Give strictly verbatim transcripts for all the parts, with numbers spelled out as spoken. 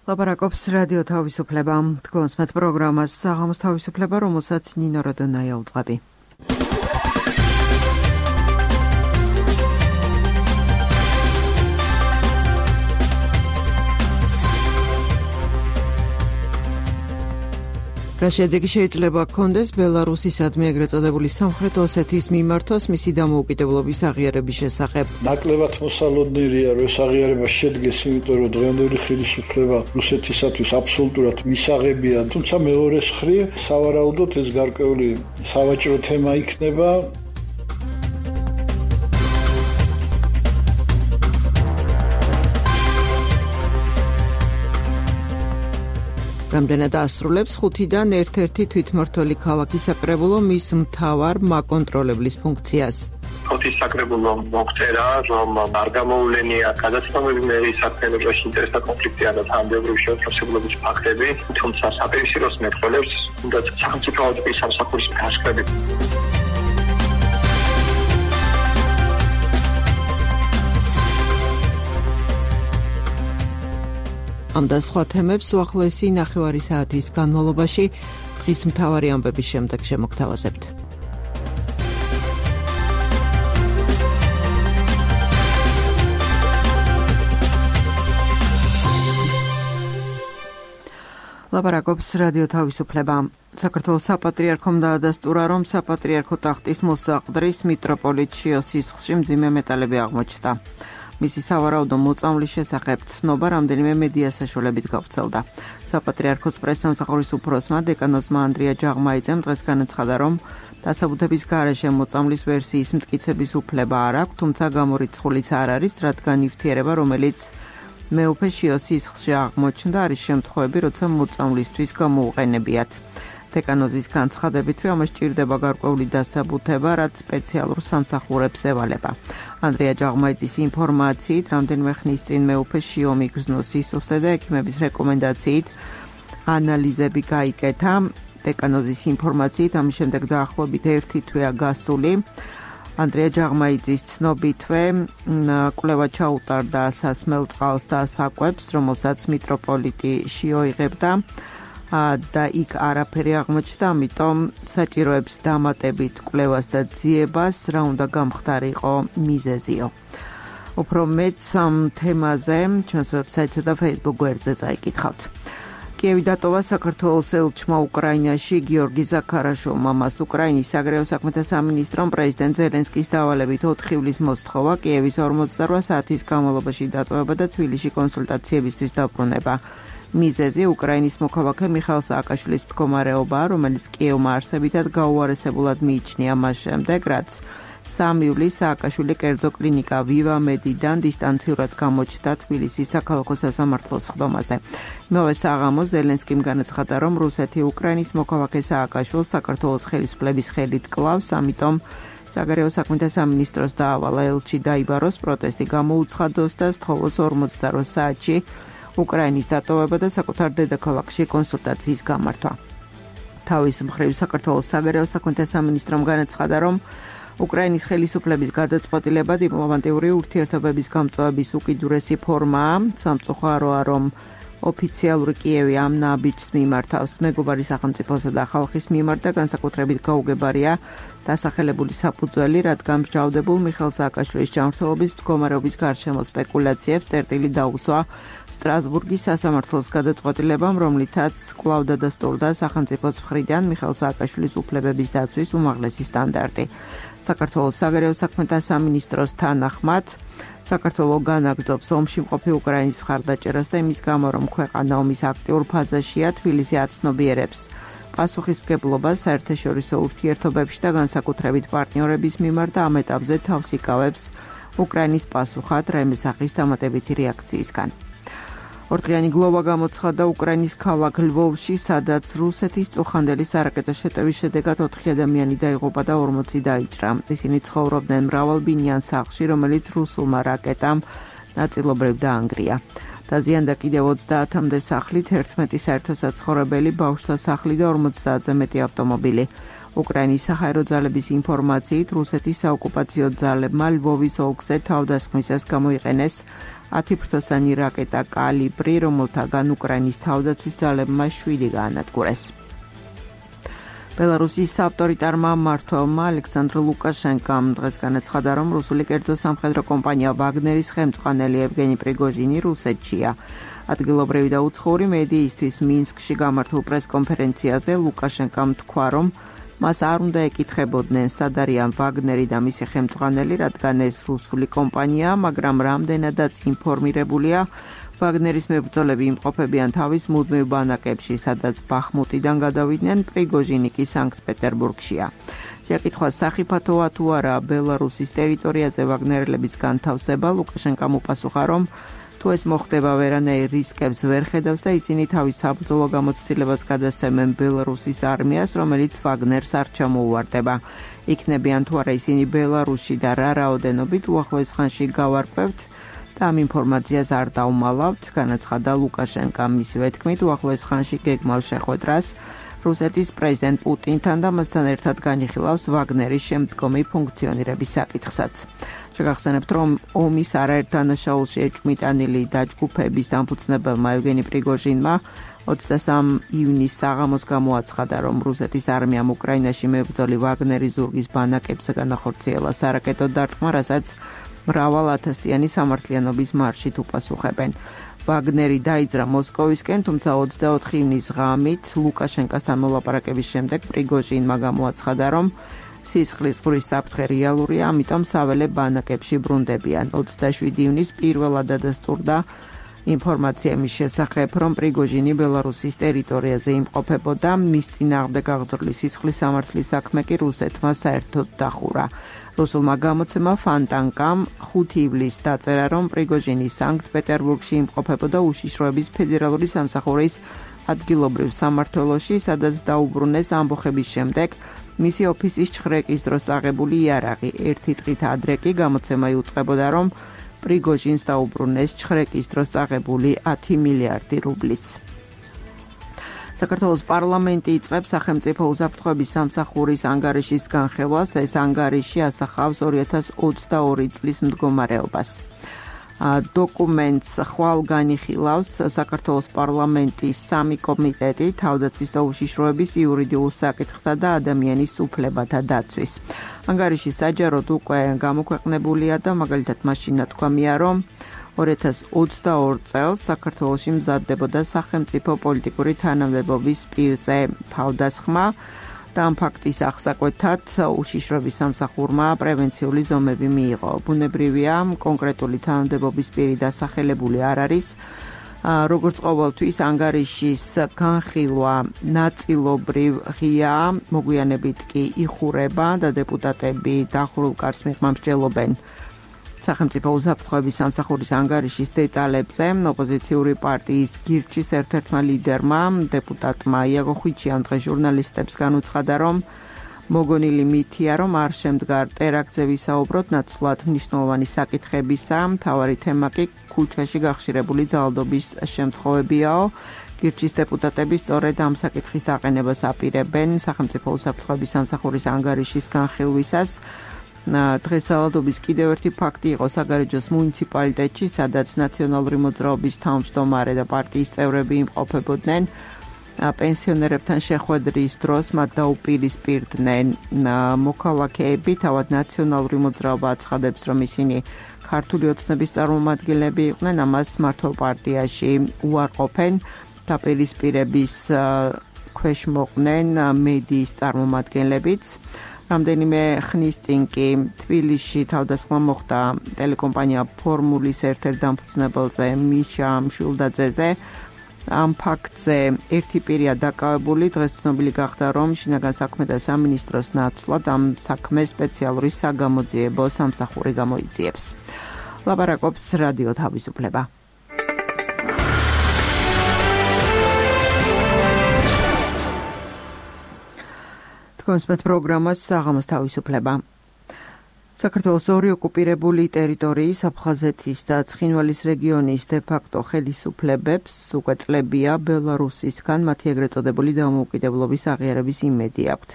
ლაპარაკობს რადიო თავისუფლება. თქვენს პროგრამას საღამოს თავისუფლება, რომელსაც ნინო როდონაია უწყები. რა შედეგი შეიძლება ჰქონდეს ბელარუსისადმი ეგრეთ წოდებული სამხრეთ ოსეთის მიმართვას მისი დამოუკიდებლობის აღიარების შესახებ. ნაკლებად მოსალოდნელია, რომ ეს აღიარება შედგეს, იმიტომ რომ დღევანდელი ხელისუფლება რუსეთისათვის აბსოლუტურად მისაღებია, თუმცა მეორეს მხრივ სავარაუდოდ ეს გარკვეული სავაჭრო თემა იქნება. რამდენად ასრულებს ხუთიდან ერთ-ერთი თვითმმართველი ქალაქის საკრებულო მის მთავარ მაკონტროლებლის ფუნქციას. ხუთის საკრებულო მოხერა, რომ არ გამოულენია გადაცნობები მერის საქმიანობაში ინტერესთა კონფლიქტი ან თანამდებობრივი შეუწყებლობის ფაქტები, თუმცა საპირისპიროს მეტყველებს თუნდაც სახელმწიფო აუდიტის სამსახურის გასწრები. ამ და სხვა თემებს უახლოესი ნახევარი საათის განმავლობაში დღის მთავარი ამბების შემდეგ შემოგთავაზებთ. ლაპარაკობს რადიო თავისუფლება. საქართველოს საპატრიარქომ დაადასტურა, რომ საპატრიარქო ტახტის მოსაყდრის მიტროპოლიტ შიოს სისხლში მძიმე მეტალები აღმოჩნდა. მისი სავარაუდო მოწამვლის შესახებ ცნობა რამდენიმე მედია საშუალებით გავრცელდა. საპატრიარქოს პრესსამსახურის უფროსმა დეკანოზმა ანდრია ჯაღმაიძემ დღეს განაცხადა, რომ დასაბუთების გარეშე მოწამვლის ვერსიის მტკიცების უფლება არ აქვს, თუმცა გამორიცხულიც არ არის, რადგან ნივთიერება, რომელიც მეუფე შიოს სისხლში აღმოჩნდა, არის შემთხვევები, როცა მოწამვლისთვის გამოუყენებიათ. დეკანოზის განცხადებით, ამას ჭირდება გარკვეული დასაბუთება, რაც სპეციალურ სამსახურებს ევალება. ანდრია ჯაღმაიძის ინფორმაციით, რამდენიმე ხნის წინ მეუფე შიო მიგრძნოს სისუსტე და ექიმების რეკომენდაციით ანალიზები გაიკეთა. დეკანოზის ინფორმაციით, ამის შემდეგ დაახლოებით ერთი თვეა გასული. ანდრია ჯაღმაიძის ცნობითვე კვლევა ჩაუტარდა სასმელ წყალს და საკვებს, რომელსაც მიტროპოლიტი შიო იღებდა. და იქ არაფერი აღმოჩნდა, ამიტომ საჭიროებს დამატებით კვლევას და ძიებას, რა უნდა გამხდარიყო მიზეზიო. უფრო მეც ამ თემაზე ჩვენს ვებსაიტსა და Facebook გვერდზე წაიკითხავთ. კიევი დატოვა საქართველოს ელჩმა უკრაინაში გიორგი ზაქარაშვილმა. მას უკრაინის საგარეო საქმეთა სამინისტრომ პრეზიდენტ ზელენსკის დავალებით ოთხი ივლის მოსთხოვა კიევის ორმოცდარვა საათის განმავლობაში დატოვება და თბილისში კონსულტაციებისთვის დაბრუნება. მიზეზი უკრაინის მოქალაქე მიხაილ სააკაშვილის მდგომარეობაა, რომელიც კიევმა არსებითად გაუარესებულად მიიჩნია მას შემდეგ, რაც სამი ივლისს სააკაშვილი კერძო კლინიკა ვივამედიდან დისტანციურად გამოჩნდა თბილისის საქალაქო სასამართლოს ხდომაზე. იმავე საღამოს ზელენსკიმ განაცხადა, რომ რუსეთი უკრაინის მოქალაქე სააკაშვილს საქართველოს ხელისუფლების ხელით კლავს, ამიტომ საგარეო საქმეთა სამინისტროს დაავალა ელჩი დაიბაროს, პროტესტი გამოუცხადოს და სთხოვოს ორმოცდარვა საათში უკრაინის დატოვება და საკუთარ დედაქალაქში კონსულტაციის გამართვა. თავის მხრივ საქართველოს საგარეო საქმეთა სამინისტრომ განაცხადა, რომ უკრაინის ხელისუფლების გადაწყვეტილება დიპლომატიური ურთიერთობების გამწვავების უკიდურესი ფორმაა. სამწუხაროა, რომ ოფიციალური კიევი ამ ნაბიჯს მიმართავს მეგობარი სახელმწიფოსა და ხალხის მიმართ და განსაკუთრებით გაუგებარია დასახელებული საფუძველი, რადგან მსჯავრდებულ მიხაილ სააკაშვილის ჯანმრთელობის მდგომარეობის გარშემო სპეკულაციებს წერტილი დაუსვა სტრასბურგის სასამართლოს გადაწყვეტილებამ, რომლითაც კვლავ დადასტურდა სახელმწიფოს მხრიდან მიხაილ სააკაშვილის უფლებების დაცვის უმაღლესი სტანდარტი. საქართველოს საგარეო საქმეთა სამინისტროს თანახმად, საქართველო განაგრძობს ომში მყოფი უკრაინის მხარდაჭერას და იმის გამო, რომ ქვეყანა ომის აქტიურ ფაზაშია, თბილისი აცნობიერებს პასუხისმგებლობას საერთაშორისო ურთიერთობებში და განსაკუთრებით პარტნიორების მიმართ და ამ ეტაპზე თავს იკავებს უკრაინის პასუხად რემესახის დამატებითი რეაქციისგან. ორდღიანი გლოვა გამოცხადდა უკრაინის ქალაქ ლვოვში, სადაც რუსეთის წუხანდელი სარაკეტო შეტევის შედეგად ოთხი ადამიანი დაიღუპა და ორმოცი დაიჭრა. ისინი ცხოვრობდნენ მრავალბინიან სახლში, რომელიც რუსულმა რაკეტამ ნაწილობრივ დაანგრია. დაზიანდა კიდევ ოცდაათამდე სახლით, ერთმეტი საერთო საცხოვრებელი, ბავშვთა სახლი და ორმოცდაათზე მეტი ავტომობილი. უკრაინის საჰაერო ძალების ინფორმაციით, რუსეთის საოკუპაციო ძალებმა ლვოვის ოლქზე თავდასხმისას გამოიყენეს ათიფრთოსანი რაკეტა კალიბრი, რომელთაგან უკრაინის თავდაცვის ძალებმა შვიდი გაანადგურეს. ბელარუსის ავტორიტარმა მმართველმა ალექსანდრ ლუკაშენკომ დღეს განაცხადა, რომ რუსული კერძო სამხედრო კომპანია ვაგნერის ხელმძღვანელი ევგენი პრიგოჟინი რუსეთშია. ადგილობრივი და უცხოური მედიისთვის მინსკში გამართულ პრესკონფერენციაზე ლუკაშენკომ თქვა, რომ მას არ უნდა ეკითხებოდნენ, სად არიან ვაგნერი და მისი ხელმძღვანელი, რადგან ეს რუსული კომპანია, მაგრამ რამდენადაც ინფორმირებულია, ვაგნერის მებრძოლები იმყოფებიან თავის მუდმივ ბანაკებში, სადაც ბახმუტიდან გადავიდნენ, პრიგოჟინი კი სანქტ-პეტერბურგშია. შეკითხვას სახიფათოა თუ არა ბელარუსის ტერიტორიაზე ვაგნერელების განთავსება, ლუკაშენკომ უპასუხა, რომ თუ ეს მოხდება, ვერანაირ რისკებს ვერ ხედავს და ისინი თავის საბრძოლო გამოცდილებას გადასცემენ ბელარუსის არმიას, რომელიც ვაგნერს არ ჩამოუვარდება. იქნებიან თუ არა ისინი ბელარუსში და რა რაოდენობით უახლოეს ხანში გავარკვევთ და ამ ინფორმაციას არ დავმალავთ, განაცხადა ლუკაშენკომ. მისივე თქმით, უახლოეს ხანში გეგმავს შეხვედრას რუსეთის პრეზიდენტ პუტინთან და მასთან ერთად განიხილავს ვაგნერის შემდგომი ფუნქციონირების საკითხსაც. შეგახსენებთ, რომ ომის არაერთ დანაშაულში ეჭვმიტანილი დაჯგუფების დამფუძნებელმა ევგენი პრიგოჟინმა ოცდასამ ივნისს საღამოს გამოაცხადა, რომ რუსეთის არმიამ უკრაინაში მებრძოლი ვაგნერის ზურგის ბანაკებზე განახორციელა სარაკეტო დარტყმა, რასაც მრავალათასიანი სამართლიანობის მარშით უპასუხებენ. ვაგნერი დაიძრა მოსკოვისკენ, თუმცა ოცდაოთხი ივნის ღამით ლუკაშენკასთან მოლაპარაკების შემდეგ პრიგოჟინმა გამოაცხადა, რომ სისხლის ყურის საფრთხე რეალურია, ამიტომ საველე ბანაკებში ბრუნდებიან. ოცდაშვიდი ივნის პირველად დადასტურდა ინფორმაცია მის შესახებ, რომ პრიგოჟინი ბელარუსის ტერიტორიაზე იმყოფებოდა, მის წინააღმდეგ აღძრული სისხლის სამართლის საქმე კი რუსეთმა საერთოდ დახურა. რუსულმა გამოცემა ფანტანკამ ხუთი ივლისს დაწერა, რომ პრიგოჟინი სანქტ-პეტერბურგში იმყოფებოდა უშიშროების ფედერალური სამსახურის ადგილობრივ სამმართველოში, სადაც დაუბრუნეს ამბოხების შემდეგ მისი ოფისის ჩხრეკის დროს წაღებული იარაღი. ერთი დღით ადრე კი გამოცემა იუწყებოდა, რომ პრიგოჟინს დაუბრუნეს ჩხრეკის დროს წაღებული ათი მილიარდი რუბლიც. საქართველოს პარლამენტი იწყებს სახელმწიფო უსაფრთხოების სამსახურის ანგარიშის განხილვას. ეს ანგარიში ასახავს ორი ათას ოცდაორი წლის მდგომარეობას. დოკუმენტს ხვალ განიხილავს საქართველოს პარლამენტის სამი კომიტეტი, თავდაცვის და უშიშროების, იურიდიულ საკითხთა და ადამიანის უფლებათა დაცვის. ანგარიში საჯაროდ უკვე გამოქვეყნებულია და მაგალითად მაშინ ნათქვამია, რომ ორი ათას ოცდაორ წელს საქართველოში მზადდებოდა სახელმწიფო პოლიტიკური თანამდებობის პირზე თავდასხმა და ამ ფაქტის აღსაკვეთად უშიშროების სამსახურმა პრევენციული ზომები მიიღო. ბუნებრივია, კონკრეტული თანამდებობის პირი დასახელებული არ არის. როგორც ყოველთვის, ანგარიშის განხილვა ნაწილობრივ ღია, მოგვიანებით კი იხურება და დეპუტატები დახურულ კარს მიღმამსჯელობენ სახელმწიფო უსაფრთხოების სამსახურის ანგარიშის დეტალებზე. ოპოზიციური პარტიის გირჩის ერთ-ერთმა ლიდერმა, დეპუტატმა იაგო ხვიჩიამ დღეს ჟურნალისტებს განუცხადა, რომ მოგონილი მითია, რომ არ შემდგარ ტერაქტზე ვისაუბროთ, ნაცვლად მნიშვნელოვანი საკითხებისა, მთავარი თემა კი ქუჩაში გახშირებული ძალადობის შემთხვევებიაო. გირჩის დეპუტატები სწორედ ამ საკითხის დაყენებას აპირებენ სახელმწიფო უსაფრთხოების სამსახურის ანგარიშის განხილვისას. დღეს ძალადობის კიდევ ერთი ფაქტი იყო საგარეჯოს მუნიციპალიტეტში, სადაც ნაციონალური მოძრაობის თავმჯდომარე და პარტიის წევრები იმყოფებოდნენ. პენსიონერებთან შეხვედრის დროს მათ დაუპირისპირდნენ მოქალაქეები, თავად ნაციონალური მოძრაობა აცხადებს, რომ ისინი ქართული ოცნების წარმომადგენლები იყვნენ, ამას მართლ პარტიაში უარყოფენ. დაპირისპირების ქვეშ მოყვნენ მედიის წარმომადგენლებიც. რამდენიმე ხნის წინ კი თბილისში თავდასხმა მოხდა ტელეკომპანია ფორმულის ერთ-ერთ დამფუძნებელზე მიშა მშვილდაძეზე. ამ ფაქტზე ერთი პირია დაკავებული. დღეს ცნობილი გახდა, რომ შინაგან საქმეთა სამინისტროს ნაცვლად ამ საქმეს სპეციალური საგამოძიებო სამსახური გამოიძიებს. ლაპარაკობს რადიო თავისუფლება. კონსპეთ პროგრამას საღამოს თავისუფლება. საქართველოს ორი ოკუპირებული ტერიტორიის აფხაზეთის და ცხინვალის რეგიონის დე-ფაქტო ხელისუფლებებს უკვე წლებია ბელარუსისგან მათი ეგრეთ წოდებული დამოუკიდებლობის აღიარების იმედი აქვთ.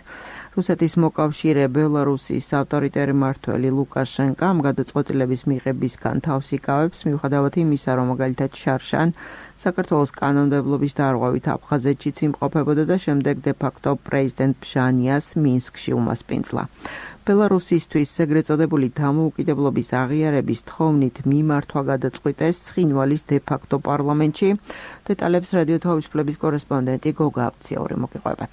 რუსეთის მოკავშირე ბელარუსის ავტორიტარი მმართველი ლუკაშენკო ამ გადაწყვეტილების მიღებისგან თავს იკავებს, მიუხედავად იმისა, რომ მაგალითად შარშან საქართველოს კანონმდებლობის დარღვევით აფხაზეთშიც იმყოფებოდა და შემდეგ დე-ფაქტო პრეზიდენტ ბჟანიას მინსკში უმასპინძლა. ბელარუსისთვის ეგრეთ წოდებული დამოუკიდებლობის აღიარების თხოვნით მიმართვა გადაწყვიტეს ცხინვალის დე-ფაქტო პარლამენტში. დეტალებს რადიო თავისუფლების კორესპონდენტი გოგა აბციაური მოგიყვებათ.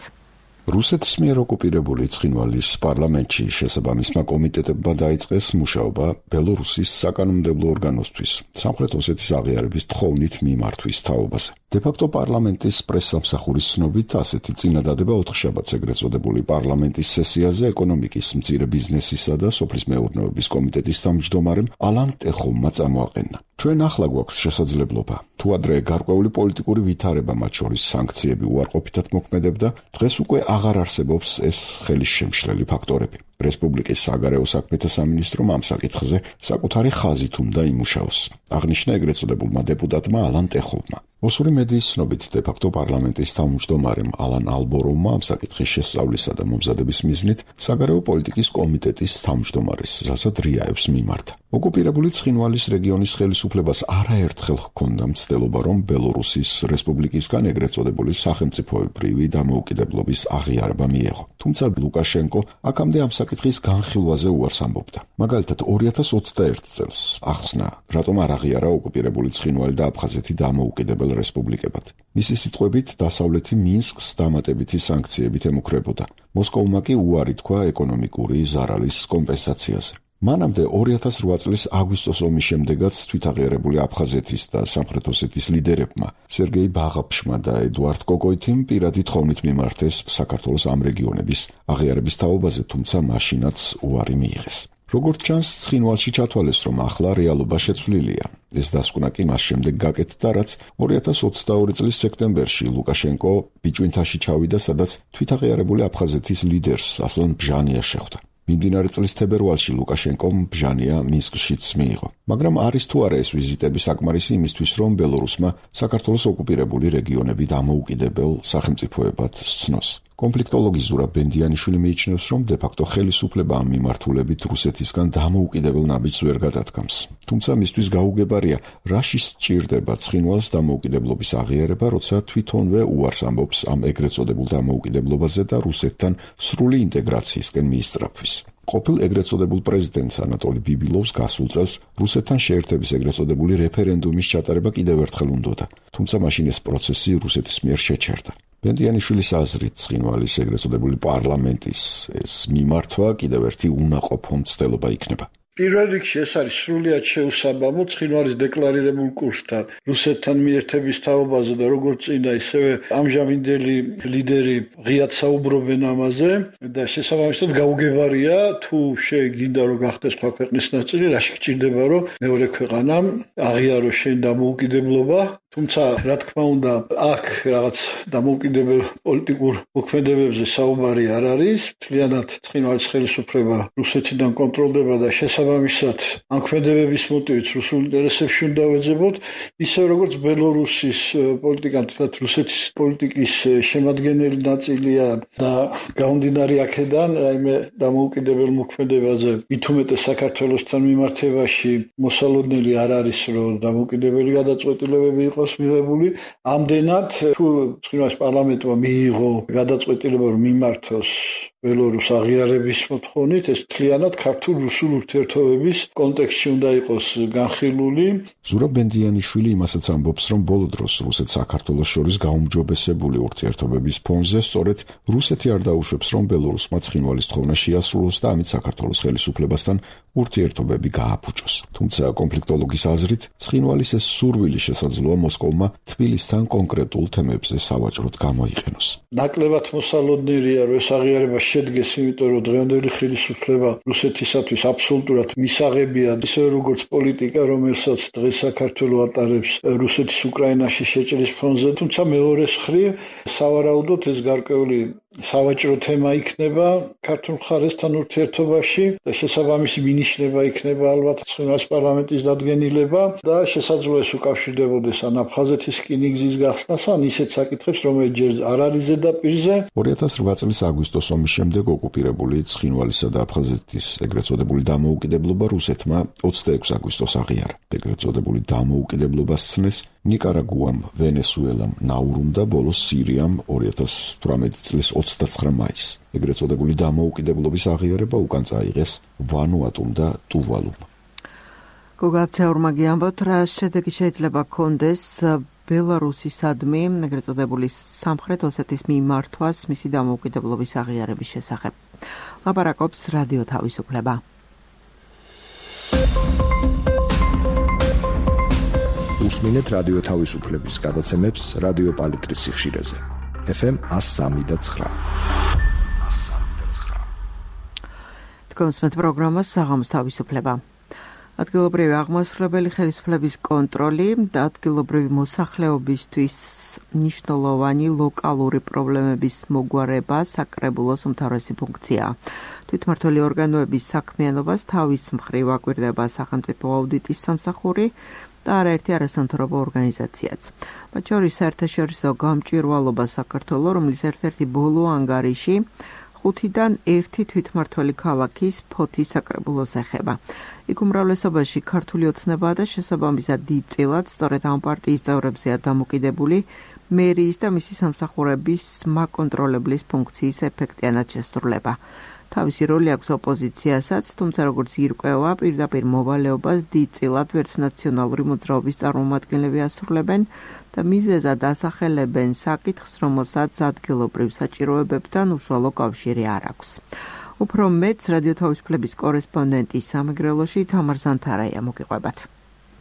რუსეთის მიერ ოკუპირებული ცხინვალის პარლამენტში შესაბამისმა კომიტეტებმა დაიწყეს მუშაობა ბელორუსის საკანონმდებლო ორგანოსთვის სამხრეთ ოსეთის აღიარების თხოვნით მიმართვის თაობაზე. დე-ფაქტო პარლამენტის პრესსამსახურის ცნობით ასეთი წინადადება ოთხშაბათს ეგრეთ წოდებული პარლამენტის სესიაზე ეკონომიკის, მწირე ბიზნესისა და სოფლის მეურნეობის კომიტეტის თავმჯდომარემ ალან ტეხომმა წამოაყენა. ჩვენ ახლა გვაქვს შესაძლებლობა. თუ ადრე გარკვეული პოლიტიკური ვითარება, მათ შორის სანქციები უარყოფითად მოქმედებდა, დღეს უკვე აღარ არსებობს ეს ხელისშემშლელი ფაქტორები. რესპუბლიკის საგარეო საქმეთა სამინისტრომ ამ საკითხზე საკუთარი ხაზით უნდა იმუშაოს. აღნიშნა ეგრეთ წოდებულმა დეპუტატმა ალან ტეხოვმა. ოსური მედიის ცნობით დე-ფაქტო პარლამენტის თავმჯდომარემ ალან ალბოროვმა ამ საკითხის შესწავლისა და მომზადების მიზნით საგარეო პოლიტიკის კომიტეტის თავმჯდომარის ზასად რიაევს მიმართა. ოკუპირებული ცხინვალის რეგიონის ხელისუფლებას არაერთხელ ჰქონდა მცდელობა, რომ ბელორუსის რესპუბლიკისგან ეგრეთ წოდებული სახელმწიფოებრივი დამოუკიდებლობის აღიარება მიეღო. თუმცა ლუკაშენკო აქამდე ამ საკითხის განხილვაზე უარს ამბობდა. მაგალითად ორი ათას ოცდაერთი წელს ახსნა, რატომ არ აღიარა ოკუპირებული ცხინვალი და აფხაზეთი დამოუკიდებელ რესპუბლიკებად. მისი სიტყვებით დასავლეთი მინსკს დამატებითი სანქციებით ემუქრებოდა. მოსკოვმა კი უარი თქვა ეკონომიკური ზარალის კომპენსაციაზე. მანამდე ორი ათას რვა წლის აგვისტოს ომის შემდეგაც თვითაღიარებული აფხაზეთის და სამხრეთ ოსეთის ლიდერებმა სერგეი ბაღაფშმა და ედუარდ კოკოითიმ პირადი თხოვნით მიმართეს საქართველოს ამ რეგიონების აღიარების თაობაზე, თუმცა მაშინაც უარი მიიღეს. როგორც ჩანს, ცხინვალში ჩათვალეს, რომ ახლა რეალობა შეცვლილია. ეს დასკვნა კი მას შემდეგ გაკეთდა, რაც ორი ათას ოცდაორი წლის სექტემბერში ლუკაშენკო ბიჭვინთაში ჩავიდა, სადაც თვითაღიარებული აფხაზეთის ლიდერს ასლან ბჟანიას შეხვდა. მიმდინარე წლის თებერვალში ლუკაშენკომ ბჟანია მინსკშიც მიიღო. მაგრამ არის თუ არა ეს ვიზიტები საკმარისი იმისთვის, რომ ბელორუსმა საქართველოს ოკუპირებული რეგიონები დამოუკიდებელ სახელმწიფოებად სცნოს. კონფლიქტოლოგი ზურაბ ბენდიანიშვილი მიიჩნევს, რომ დე-ფაქტო ხელისუფლება ამ მიმართულებით რუსეთისგან დამოუკიდებელ ნაბიჯს ვერ გადადგამს. თუმცა მისთვის გაუგებარია, რაში სჭირდება ცხინვალს დამოუკიდებლობის აღიარება, როცა თვითონვე უარს ამბობს ამ ეგრეთ წოდებულ დამოუკიდებლობაზე და რუსეთთან სრული ინტეგრაციისკენ მიისწრაფვის. ყოფილ ეგრეთ წოდებულ პრეზიდენტს ანატოლი ბიბილოვს გასულ წელს რუსეთთან შეერთების ეგრეთ წოდებული რეფერენდუმის ჩატარება კიდევ ერთხელ უნდოდა, თუმცა მაშინ ეს პროცესი რუსეთის მიერ შეჩერდა. ბენდიანიშვილის აზრით ცხინვალის ეგრეთ წოდებული პარლამენტის ეს მიმართვა კიდევ ერთი უნაყოფო მცდელობა იქნება. პირველ რიგში ეს არის სრულიად შეუსაბამო ცხინვალის დეკლარირებულ კურსთან რუსეთთან მიერთების თაობაზე და როგორც წინა ისევე ამჟამინდელი ლიდერი ღიად საუბრობენ ამაზე და შესაბამისად გაუგებარია თუ შეგინდა რომ გახდეს სხვა ქვეყნის ნაწილი, რაში გჭირდება რომ მეორე ქვეყანამ აღიაროს შენ დამოუკიდებლობა. თუმცა რა თქმა უნდა აქ რაღაც დამოუკიდებელ პოლიტიკურ მოქმედებებზე საუბარი არ არის. მთლიანად ცხინვალის ხელისუფლება რუსეთიდან კონტროლდება და შესაბამისად ამ ქმედებების მოტივით რუსულ ინტერესებში უნდა ვეძებოთ, ისე როგორც ბელორუსის პოლიტიკა თუნდაც რუსეთის პოლიტიკის შემადგენელი ნაწილია და გამომდინარე აქედან რაიმე დამოუკიდებელ მოქმედებაზე მით უმეტეს საქართველოსთან მიმართებაში მოსალოდნელი არ არის, რომ დამოუკიდებელი გადაწყვეტილებები იყოს მიღებული. ამდენად თუ ცხინვალის პარლამენტმა მიიღო გადაწყვეტილება რომ მიმართოს ბელორუს აღიარების მოთხოვნით, ეს მთლიანად ქართულ-რუსულ ურთიერთობების კონტექსტში უნდა იყოს განხილული. ზურაბ ბენდიანიშვილი იმასაც ამბობს, რომ ბოლო დროს რუსეთ-საქართველოს შორის გაუმჯობესებული ურთიერთობების ფონზე სწორედ რუსეთი არ დაუშვებს, რომ ბელორუსმა ცხინვალის თხოვნა შეასრულოს და ამით საქართველოს ხელისუფლებასთან ურთიერთობები გააფუჭოს. თუმცა კონფლიქტოლოგის აზრით, ცხინვალის ეს სურვილი შესაძლოა მოსკოვმა თბილისთან კონკრეტულ თემებზე სავაჭროდ გამოიყენოს. ნაკლებად მოსალოდნელია, რომ ეს აღიარება შედგეს, იმიტომ რომ დღევანდელი ხელისუფლება რუსეთისათვის აბსოლუტურად მისაღებია, ისე როგორც პოლიტიკა, რომელსაც დღეს საქართველოს ატარებს რუსეთის უკრაინაში შეჭრის ფონზე, თუმცა მეორე მხრივ სავარაუდოდ ეს გარკვეული სავაჭრო თემა იქნება ქართულ მხარესთან ურთიერთობაში და შესაბამისი მინიშნება იქნება ალბათ ცხინვალის პარლამენტის დადგენილება და შესაძლოა ეს უკავშირდებოდეს ან აფხაზეთის რკინიგზის გახსნას, ან ისეთ საკითხებს, რომელიც ჯერ არ არის ზედაპირზე. ორი ათას რვა წლის აგვისტოს ომის შემდეგ ოკუპირებული ცხინვალისა და აფხაზეთის ეგრეთ წოდებული დამოუკიდებლობა რუსეთმა ოცდაექვსი აგვისტოს აღიარა. ეგრეთ წოდებული დამოუკიდებლობა სცნეს ნიკარაგუამ, ვენესუელამ, ნაურუმ და ბოლოს სირიამ ორი ათას თვრამეტი წლის ოცდაცხრა მაისს. ეგრეთ წოდებული დამოუკიდებლობის აღიარება უკან წაიღეს ვანუატუმ და ტუვალუმ. გოგაბცეურმა გიამბოთ, რა შედეგი შეიძლება ჰქონდეს ბელარუსისადმი, ეგრეთ წოდებული სამხრეთ ოსეთის მიმართვას მისი დამოუკიდებლობის აღიარების შესახებ. ლაპარაკობს რადიო თავისუფლება. უსმინეთ რადიო თავისუფლების გადაცემებს რადიო პალიტრის სიხშირეზე. ეფ ემ εκατო სამი და ცხრა. თქვენს პროგრამას საღამოს თავისუფლება. ადგილობრივი აღმასრულებელი ხელისუფლების კონტროლი და ადგილობრივი მოსახლეობისთვის მნიშვნელოვანი ლოკალური პრობლემების მოგვარება საკრებულოს უმთავრესი ფუნქციაა. თვითმმართველი ორგანოების საქმიანობას თავის მხრივ აკვირდება სახელმწიფო აუდიტის სამსახური და არაერთი არასამთავრობო ორგანიზაციაც. მათ შორის საერთაშორისო გამჭვირვალობა საქართველოს, რომლის ერთ-ერთი ბოლო ანგარიში ხუთიდან ერთი თვითმმართველი ქალაქის ფოთის საკრებულოს ეხება. იქ უმრავლესობაში ქართული ოცნებაა და შესაბამისად დიდწილად სწორედ ამ პარტიის წევრებზეა დამოკიდებული მერიის და მისი სამსახურების მაკონტროლებლის ფუნქციის ეფექტიანად შესრულება. თავისი როლი აქვს ოპოზიციასაც, თუმცა როგორც ირკვევა, პირდაპირ მოვალეობას დიდწილად ვერც ნაციონალური მოძრაობის წარმომადგენლები ასრულებენ და მიზეზად ასახელებენ საკითხს, რომელსაც ადგილობრივ საჭიროებებთან უშუალო კავშირი არ აქვს. უფრო მეც რადიო თავისუფლების კორესპონდენტი სამეგრელოში თამარ ზანთარაია მოგიყვებათ.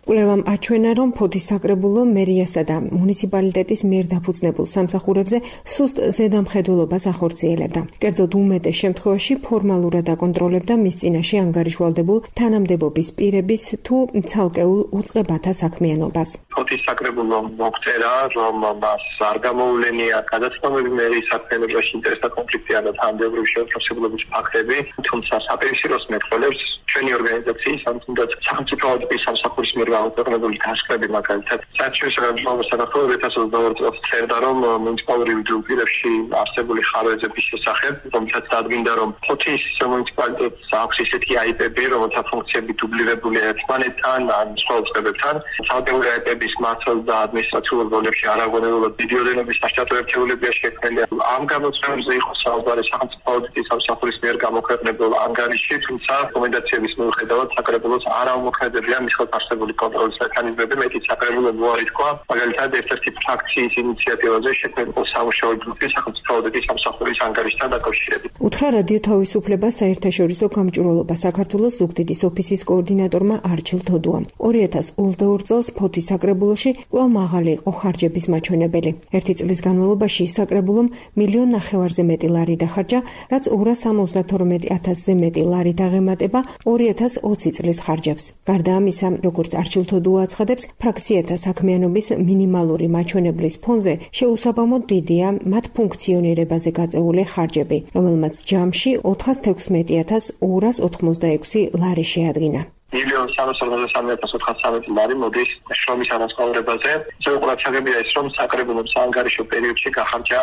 კვლევამ აჩვენა, რომ ფოთის საკრებულო მერიასა და მუნიციპალიტეტის მიერ დაფუძნებულ სამსახურებზე სუსტ ზედამხედველობას ახორციელებდა. კერძოდ უმეტეს შემთხვევაში ფორმალურად აკონტროლებდა მის წინაშე ანგარიშვალდებულ თანამდებობის პირების თუ ცალკეულ უწყებათა საქმიანობას. ფოთის საკრებულო მოგწერა, რომ მას არ გამოულენია გადაცნობები მერიის საქმიანობაში ინტერესთა კონფლიქტიან და თანამდებობის შეუთავსებლობის ფაქტები, თუმცა საპირისპიროს მეტყველებს ჩვენი ორგანიზაციის თუნდაც სახელმწიფო აუდიტის სამსახურის მიერ გამოქვეყნებული განსხვავებული მაგალითად საერთაშორისო განსხვავების საქართველოს ორი ათას ოცდაორი წელს წერდა, რომ მუნიციპალური პირებში არსებული ხარვეზების შესახებ, რომელსაც დადგინდა, რომ ფოთის მუნიციპალიტეტს აქვს ისეთი აიპები, რომელთა ფუნქციები დუბლირებულია ერთმანეთთან ან სხვა უწყებებთან. ცალკეული აიპების მართლ და ადმინისტრაციულ როლებში არაგონებულად დიდი ოდენობის საშტატო ერთეულებია შექმნილი. ამ გამოწვევებზე იყო საუბარი სახელმწიფო აუდიტის სამსახურის მიერ გამოქვეყნებულ ანგარიში, თუმცა რეკომენდაციების მიუხედავად საკრებულოს არ აუმოქმედებია მის ხელფასებული კონტროლის მექანიზმები, მეტიც საკრებულო მოარი თქვა, მაგალითად ერთ-ერთი ფრაქციის ინიციატივაზე შექმნილ სამუშაო ჯგუფის სახელმწიფო აუდიტის სამსახურის ანგარიშთან დაკავშირებით. უთხრა რადიო თავისუფლება საერთაშორისო გამჭვირვალობა საქართველოს ზუგდიდის ოფისის კოორდინატორმა არჩილ თოდუამ. ორი ათას ოცდაორი წელს ფოთის საკრებულოში კვლავ მაღალი იყო ხარჯების მაჩვენებელი. ერთი წლის განმავლობაში საკრებულომ მილიონ ნახევარზე მეტი ლარი დახარჯა, რაც ორას სამოცდათორმეტი ათასზე მეტი ლარი დაღემატება ორი ათას ოცი წლის ხარჯებს. გარდა ამისა, როგორც არჩილ თოდუა აცხადებს, ფრაქციათა საქმიანობის მინიმალური მაჩვენებლის ფონზე შეუსაბამოდ დიდია მათ ფუნქციონირებაზე გაწეული ხარჯები, რომელმაც ჯამში ოთხას თექვსმეტი ათას ორას ოთხმოცდაექვსი ლარი შეადგინა. მილიონ სამას ორმოცდასამი ათას ოთხმოცდასამეტი ლარი მოდის შრომის ანაზღაურებაზე. ისევ ყურადღებია ის, რომ საკრებულომ საანგარიშო პერიოდში გახარჯა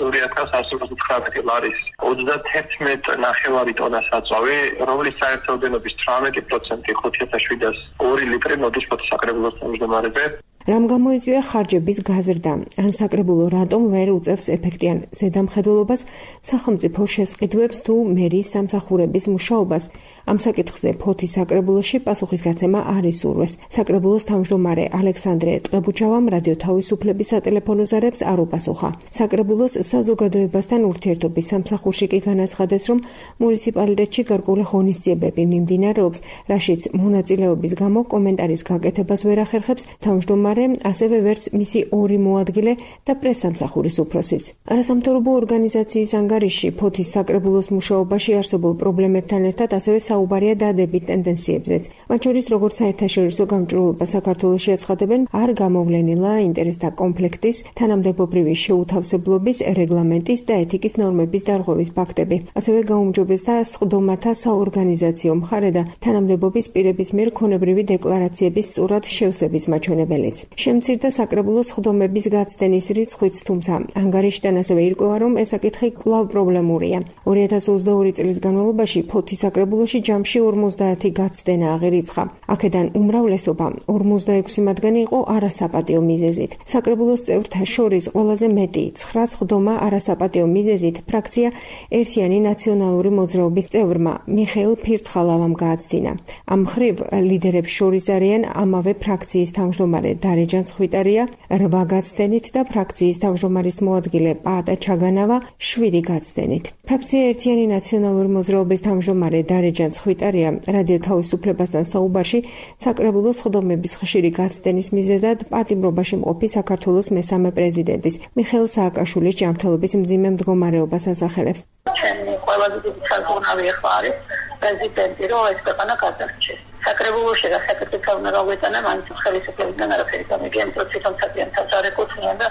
ორი ათას ასი ოცდაათი ლარის ოცდათერთმეტი ნახევარი ტონა საწვავი, რომლის საერთო ოდენობის თვრამეტი პროცენტი ხუთი ათას შვიდას ორი ლიტრი მოდის ფოთის საკრებულოს თავმჯდომარეზე. რამ გამოიწვია ხარჯების გაზრდა? ან საკრებულო რატომ ვერ უწევს ეფექტიან ზედამხედველობას, სახელმწიფო შესყიდვებს თუ მერიის სამსახურების მუშაობას? ამ საკითხზე ფოთის საკრებულოში პასუხისგაცემა არ ისურვეს. საკრებულოს თავმჯდომარე ალექსანდრე ტყებუჩავამ რადიო თავისუფლების სატელეფონო ზარებს არ უპასუხა. საკრებულოს საზოგადოებასთან ურთიერთობის სამსახურში კი განაცხადეს, რომ მუნიციპალიტეტში გარკვეული ღონისძიებები მიმდინარეობს, რაშიც მონაწილეობის გამო კომენტარის გაკეთებას ვერ ახერხებს თავმჯდომარე, ასევე ვერც მისი ორი მოადგილე და პრესსამსახურის უფროსიც. არასამთავრობო ორგანიზაციის ანგარიში ფოთის საკრებულოს მუშაობაში არსებულ პრობლემებთან ერთად ასევე საუბარია დადებით ტენდენციებზეც. მათ შორის, როგორც საერთაშორისო გამჭვირვალობა საქართველოში აცხადებენ, არ გამოვლენილა ინტერესთა კონფლიქტის, თანამდებობრივი შეუთავსებლობის, რეგლამენტის და ეთიკის ნორმების დარღვევის ფაქტები. ასევე გაუმჯობესდა სხდომათა საორგანიზაციო მხარე და თანამდებობის პირების მიერ ქონებრივი დეკლარაციების სწორად შევსების მაჩვენებელიც. შემცირდა საკრებულოს ხდომების გაცდენის რიცხვიც, თუმცა ანგარიშიდან ასევე ირკვევა, რომ ეს საკითხი კვლავ პრობლემურია. ორი ათას ოცდაორი წლის განმავლობაში ფოთის საკრებულოში ჯამში ორმოცდაათი გაცდენა აღირიცხა. აქედან უმრავლესობა ორმოცდაექვსი მათგანი იყო არასაპატიო მიზეზით. საკრებულოს წევრთა შორის ყველაზე მეტი ცხრას ხდომა არასაპატიო მიზეზით ფრაქცია ერთიანი ნაციონალური მოძრაობის წევრმა მიხეილ ფირცხალავამ გააცდინა. ამ მხრივ ლიდერებს შორის არიან ამავე ფრაქციის თავმჯდომარე დარეჯან ხვიტარია რვა გაცდენით და ფრაქციის თავმჯდომარის მოადგილე პაატა ჩაგანავა შვიდი გაცდენით. ფრაქცია ერთიანი ნაციონალური მოძრაობის თავმჯდომარე დარეჯან ხვიტარია რადიო თავისუფლებასთან საუბარში საკრებულოს ხდომების ხშირი გაცდენის მიზეზად პატიმრობაში მყოფი საქართველოს მესამე პრეზიდენტის მიხეილ სააკაშვილის ჯანმრთელობის მძიმე მდგომარეობას ასახელებს. ჩემი ყველაზე დიდი საზღვრავი ახლა არის პრეზიდენტი, რომ ეს ქვეყანა გადარჩეს. საკრებულოში და საკრებულოს უნდა გავეტანა მაინც ხელისუფლებიდან არაფერი გამიგია, იმიტომ რომ თვითონ საკრებულოს არ ეკუთვნიან და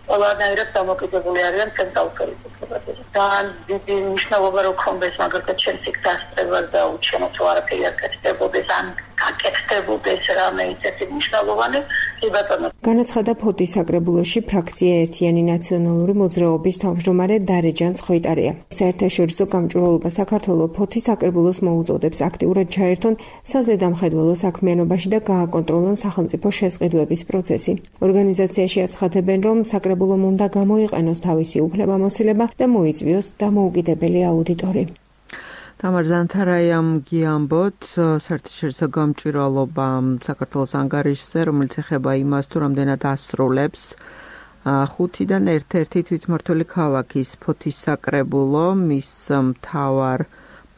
ყველანაირად დამოკიდებული არიან ცენტრალურ ხელისუფლებაზე. ძალიან დიდი მნიშვნელობა რო ქონდეს მაგალითად ჩემს იქ დასწრებას და უჩვენოთ რომ არაფერი არ გაკეთდებოდეს ან გაკეთდებოდეს რამე ისეთი მნიშვნელოვანი კი ბატონო. განაცხადა ფოთის საკრებულოში ფრაქცია ერთიანი ნაციონალური მოძრაობის თავმჯდომარე დარეჯან ხვიტარია. საერთაშორისო გამჭვირვალობა საქართველოს ფოთის საკრებულოს მოუწოდებს აქტიურად ჩაერთონ საზედამხედველო საქმიანობაში და გააკონტროლონ სახელმწიფო შესყიდვების პროცესი. ორგანიზაციაში აცხადებენ, რომ საკრებულომ უნდა გამოიყენოს თავისი უფლებამოსილება და მოიწვიოს დამოუკიდებელი აუდიტორი. თამარ ზანთარაიამ გიამბოთ საერთაშორისო გამჭვირვალობა საქართველოს ანგარიშზე, რომელიც ეხება იმას, თუ რამდენად ასრულებს ხუთიდან ერთ-ერთი თვითმმართველი ქალაქის ფოთის საკრებულო მის მთავარ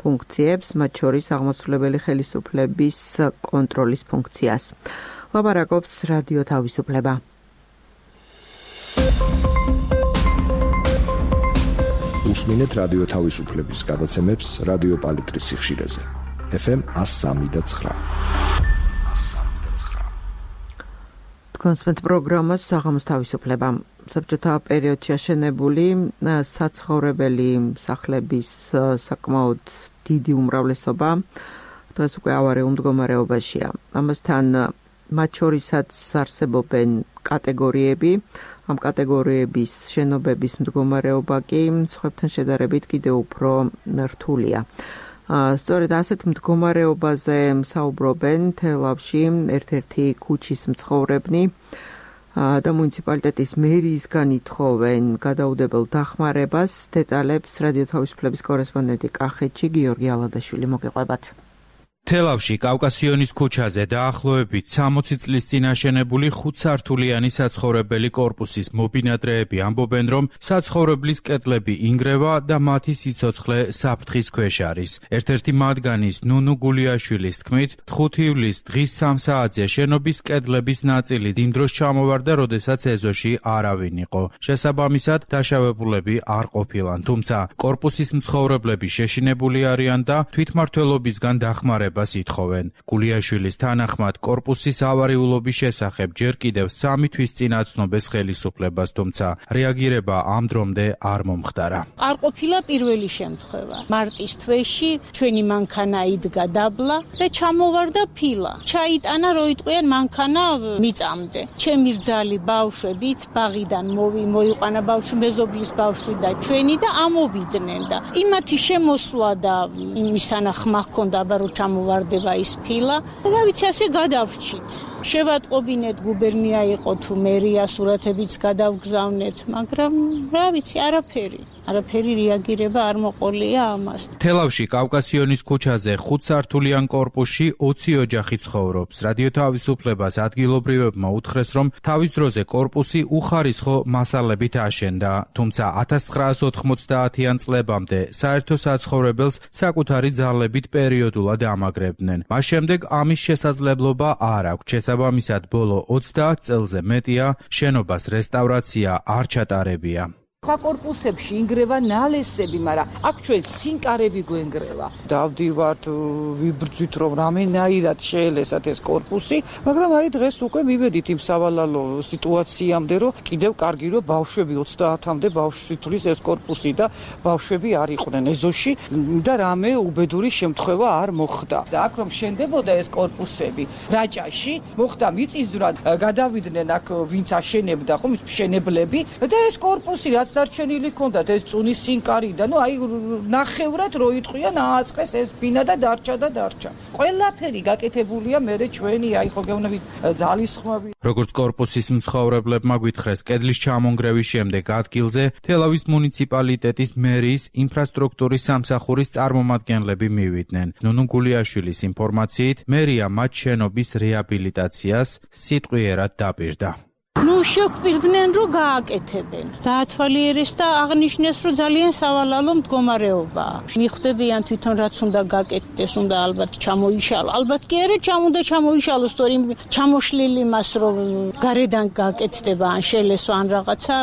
ფუნქციებს, მათ შორის აღმასრულებელი ხელისუფლების კონტროლის ფუნქციას. ლაპარაკობს რადიო თავისუფლება. უსმინეთ რადიო თავისუფლების გადაცემებს რადიო პალიტრის სიხშირეზე. ეფ ემ one oh three point nine. კონსპენთ პროგრამას საღამოს თავისუფლება. საბჭოთა პერიოდში აშენებული საცხოვრებელი სახლების საკმაოდ დიდი უმრავლესობა დღეს უკვე ავარიულ მდგომარეობაშია. ამასთან მათ შორისაც არსებობენ კატეგორიები. ამ კატეგორიების შენობების მდგომარეობა კი სხვებთან შედარებით კიდევ უფრო რთულია. სწორედ ასეთ მდგომარეობაზე საუბრობენ თელავში ერთ-ერთი ქუჩის მცხოვრებნი და მუნიციპალიტეტის მერიისგან ითხოვენ გადაუდებელ დახმარებას. დეტალებს რადიო თავისუფლების კორესპონდენტი კახეთში გიორგი ალადაშვილი მოგიყვებათ. თელავში კავკასიონის ქუჩაზე დაახლოებით სამოცი წლის წინ აშენებული ხუთსართულიანი საცხოვრებელი კორპუსის მობინადრეები ამბობენ, რომ საცხოვრებლის კედლები ინგრევა და მათი სიცოცხლე საფრთხის ქვეშ არის. ერთ-ერთი მათგანის ნუნუ გულიაშვილის თქმით, ხუთი ივლისს დღის სამ საათზე შენობის კედლების ნაწილი იმ დროს ჩამოვარდა, როდესაც ეზოში არავინ იყო. შესაბამისად, დაშავებულები არ ყოფილან, თუმცა კორპუსის მცხოვრებლები შეშინებული არიან და თვითმმართველობისგან დახმარება ითხოვენ. გულიაშვილის თანახმად კორპუსის ავარიულობის შესახებ ჯერ კიდევ სამი თვის წინ აცნობეს ხელისუფლებას, თუმცა რეაგირება ამ დრომდე არ მომხდარა. არ ყოფილა პირველი შემთხვევა. მარტის თვეში ჩვენი მანქანა იდგა დაბლა და ჩამოვარდა ფილა. ჩაიტანა რო იტყვიან მანქანა მიწამდე. ჩემი რძალი ბავშვებით ბაღიდან მოვი მოიყვანა ბავშვი მეზობლის ბავშვი და ჩვენი და ამოვიდნენ და იმათი შემოსვლა და იმის თანახმა ჰქონდა ბარო ჩამოვარდება ის ფილა. რა ვიცი, ასე გადავრჩით. შევატყობინეთ, გუბერნია იყო თუ მერია, სურათებიც გადავგზავნეთ, მაგრამ რა ვიცი, არაფერი. არაფერი რეაგირება არ მოყოლია ამას. თელავში კავკასიონის ქუჩაზე ხუთსართულიან კორპუსში ოცი ოჯახი ცხოვრობს. რადიო თავისუფლებას ადგილობრივებმა უთხრეს, რომ თავის დროზე კორპუსი უხარისხო მასალებით აშენდა, თუმცა ათას ცხრაას ოთხმოცდაათიან წლებამდე საერთო საცხოვრებელს საკუთარი ძალებით პერიოდულად ამაგრებდნენ. მას შემდეგ ამის შესაძლებლობა არ აქვს. შესაბამისად, ბოლო ოცდაათ წელზე მეტია შენობას რესტავრაცია არ ჩატარებია. სხვა კორპუსებში ინგრევა ნალესები, მაგრამ აქ ჩვენ სინკარები გვენგრევა. დავდივართ, ვიბრძვით რომ რამენაირად შეელესათ ეს კორპუსი, მაგრამ აი დღეს უკვე მივედით იმ სავალალო სიტუაციამდე, რომ კიდევ კარგი რომ ბავშვები ოცდაათამდე ბავშვი თulis ეს კორპუსი და ბავშვები არ იყვნენ ეზოში და რამე უბედური შემთხვევა არ მოხდა. და აქ რომ შენდებოდა ეს კორპუსები რაჭაში, მოხდა მიწისძვრა, გადავიდნენ აქ ვინც აშენებდა, ხო, მშენებლები და ეს კორპუსი რაც დარჩენილი ქონდათ ეს წუნის სინკარი და ნუ აი ნახევრად რო იტყვიან ააწყეს ეს ბინა და დარჩა და დარჩა. ყველაფერი გაკეთებულია მერე ჩვენი აი ხო გეუბნებით ძალისხმები. როგორც კორპუსის მცხოვრებლებმა გვითხრეს, კედლის ჩამონგრევის შემდეგ ადგილზე თელავის მუნიციპალიტეტის მერიის ინფრასტრუქტურის სამსახურის წარმომადგენლები მივიდნენ. ნუნუ გულიაშვილის ინფორმაციით, მერია მათ შენობის რეაბილიტაციას სიტყვიერად დაპირდა. ნუ შეგვპირდნენ რომ გააკეთებენ. დაათვალიერეს და აღნიშნეს რომ ძალიან სავალალო მდგომარეობაა. მიხვდებიან თვითონ რაც უნდა გაკეთდეს, უნდა ალბათ ჩამოიშალო. ალბათ კი არა ჩამოდა ჩამოიშალოს, თორემ ჩამოშლილი მას რომ გარედან გაკეთდება ან შელესვა ან რაღაცა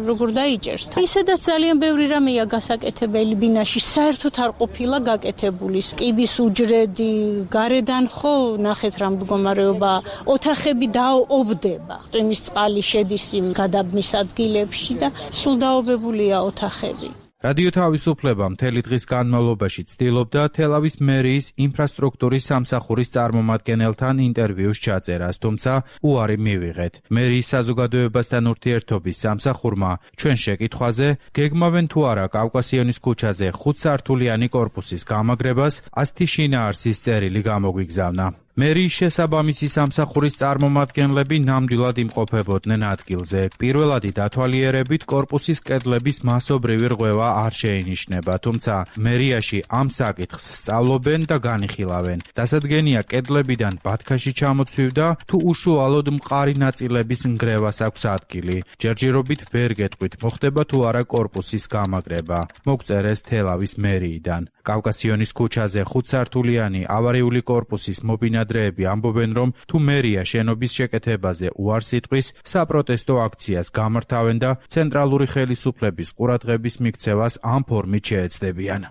როგორ დაიჭერს. ისედაც ძალიან ბევრი რამეა გასაკეთებელი ბინაში, საერთოდ არ ყოფილა გაკეთებული. კიბის უჯრედი გარედან ხო ნახეთ რა მდგომარეობაა. ოთახები დაობდება. წვიმის წყალი შედის იმ გადაბმის ადგილებში და სულ დაობებულია ოთახები. რადიო თავისუფლება მთელი დღის განმავლობაში ცდილობდა თელავის მერიის ინფრასტრუქტურის სამსახურის წარმომადგენელთან ინტერვიუს ჩაწერას, თუმცა უარი მივიღეთ. მერიის საზოგადოებასთან ურთიერთობის სამსახურმა ჩვენ შეკითხვაზე, გეგმავენ თუ არა კავკასიონის ქუჩაზე ხუთსართულიანი კორპუსის გამაგრებას, ასეთი შინაარსის წერილი გამოგვიგზავნა. მერიის შესაბამისი სამსახურის წარმომადგენლები ნამდვილად იმყოფებოდნენ ადგილზე. პირველადი დათვალიერებით კორპუსის კედლების მასობრივი რღვევა არ შეინიშნება, თუმცა მერიაში ამ საკითხს სწავლობენ და განიხილავენ. დასადგენია კედლებიდან ბათქაში ჩამოცვივდა თუ უშუალოდ მყარი ნაწილების ნგრევას აქვს ადგილი. ჯერჯერობით ვერ გეტყვით, მოხდება თუ არა კორპუსის გამაგრება. მოგწერეს თელავის მერიიდან. კავკასიონის ქუჩაზე ხუთსართულიანი ავარიული კორპუსის მობინადრეები ამბობენ, რომ თუ მერია შენობის შეკეთებაზე უარს იტყვის, საპროტესტო აქციას გამართავენ და ცენტრალური ხელისუფლების ყურადღების მიქცევას ამ ფორმით შეეცდებიან.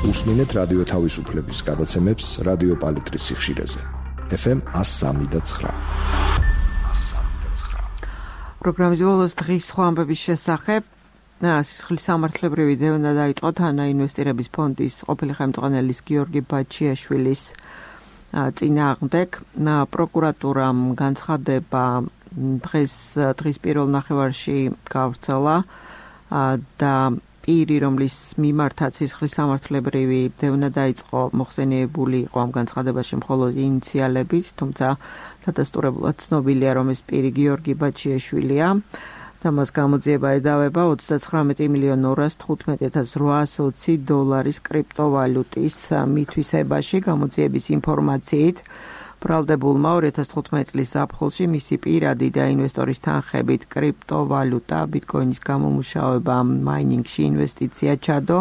უსმინეთ რადიო თავისუფლების გადაცემებს რადიო პალიტრის სიხშირეზე. ეფ ემ one oh three point nine. პროგრამის ბოლოს დღის სხვა ამბების შესახებ სისხლის სამართლებრივი დევნა დაიწყო თანა ინვესტირების ფონდის ყოფილი ხელმძღვანელის გიორგი ბაჩიაშვილის წინააღმდეგ. პროკურატურამ განცხადება დღეს დღის პირველ ნახევარში გავრცელა და პირი, რომლის მიმართაც სისხლის სამართლებრივი დევნა დაიწყო, მოხსენიებული იყო ამ განცხადებაში მხოლოდ ინიციალებით, თუმცა დადასტურებულად ცნობილია, რომ ეს პირი გიორგი ბაჩიაშვილია და მას გამოძიება ედავება ოცდაცხრამეტი მილიონი ორასი თხუთმეტი ათას რვაასი ოცი დოლარის კრიპტოვალუტის მითვისებაში. გამოძიების ინფორმაციით, ბრალდებულმა ორი ათას თხუთმეტი წლის ზაფხულში მისი პირადი და ინვესტორის თანხებით კრიპტოვალუტა ბიტკოინის გამომუშავება მაინინგში ინვესტიცია ჩადო.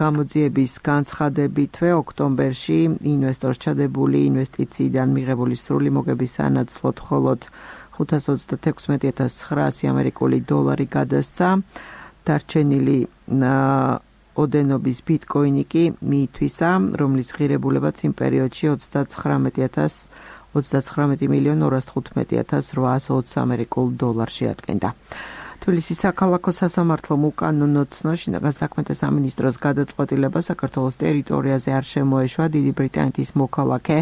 გამოძიების განცხადებითვე ოქტომბერში ინვესტორს ჩადებული ინვესტიციიდან მიღებული სრული მოგების სანაცვლოდ მხოლოდ ხუთას ოცდათექვსმეტი ათას ცხრაასი ამერიკული დოლარი გადასცა. დარჩენილი ოდენობის ბიტკოინი კი მიითვისა, რომლის ღირებულებაც იმ პერიოდში ოცდაცხრამეტი მილიონი ორასი თხუთმეტი ათას რვაასი ოცი ამერიკულ დოლარს შეადგენდა. თბილისის საქალაქო სასამართლომ უკანონო ცნო შინაგან საქმეთა სამინისტროს გადაწყვეტილება საქართველოს ტერიტორიაზე არ შემოეშვა დიდი ბრიტანეთის მოქალაქე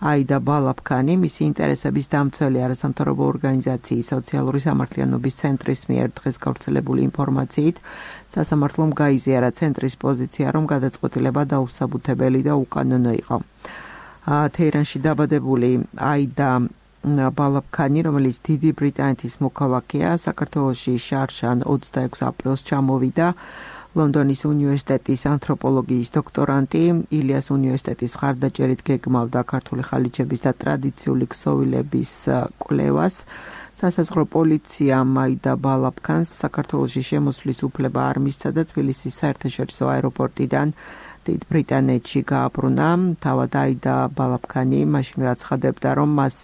აიდა ბალაფქანი, მისი ინტერესების დამცველი არასამთავრობო ორგანიზაციის სოციალური სამართლიანობის ცენტრის მიერ დღეს გავრცელებული ინფორმაციით, სასამართლომ გაიზიარა ცენტრის პოზიცია, რომ გადაწყვეტილება დაუსაბუთებელი და უკანონო იყო. თეირანში დაბადებული აიდა ბალაფქანი, რომელიც დიდი ბრიტანეთის მოქალაქეა, საქართველოში შარშან ოცდაექვსი აპრილს ჩამოვიდა. ლონდონის უნივერსიტეტის ანთროპოლოგიის დოქტორანტი, ილიას უნივერსიტეტის მხარდაჭერით გეგმავდა ქართული ხალიჩების და ტრადიციული ქსოვილების კვლევას. სასაზღვრო პოლიციამ აიდა ბალაფქანს საქართველოში შემოსვლის უფლება არ მისცა და თბილისის საერთაშორისო აეროპორტიდან დიდ ბრიტანეთში გააბრუნა. თავად აიდა ბალაფქანი მაშინვე აცხადებდა, რომ მას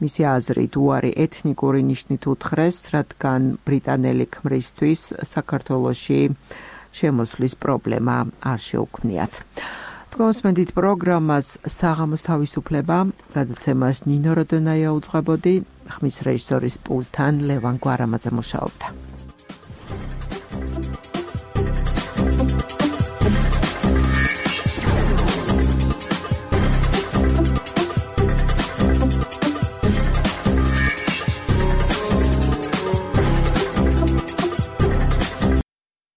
მისი აზრით უარი ეთნიკური ნიშნით უთხრეს, რადგან ბრიტანელი ქმრისთვის საქართველოში შემოსვლის პრობლემა არ შეუქმნიათ. თქვენსმენდით პროგრამას საღამოს თავისუფლება, გადაცემას ნინო როდონაია უძღვებოდი, ხმის რეჟისორის პულტთან ლევან გვარამაძე მუშაობდა.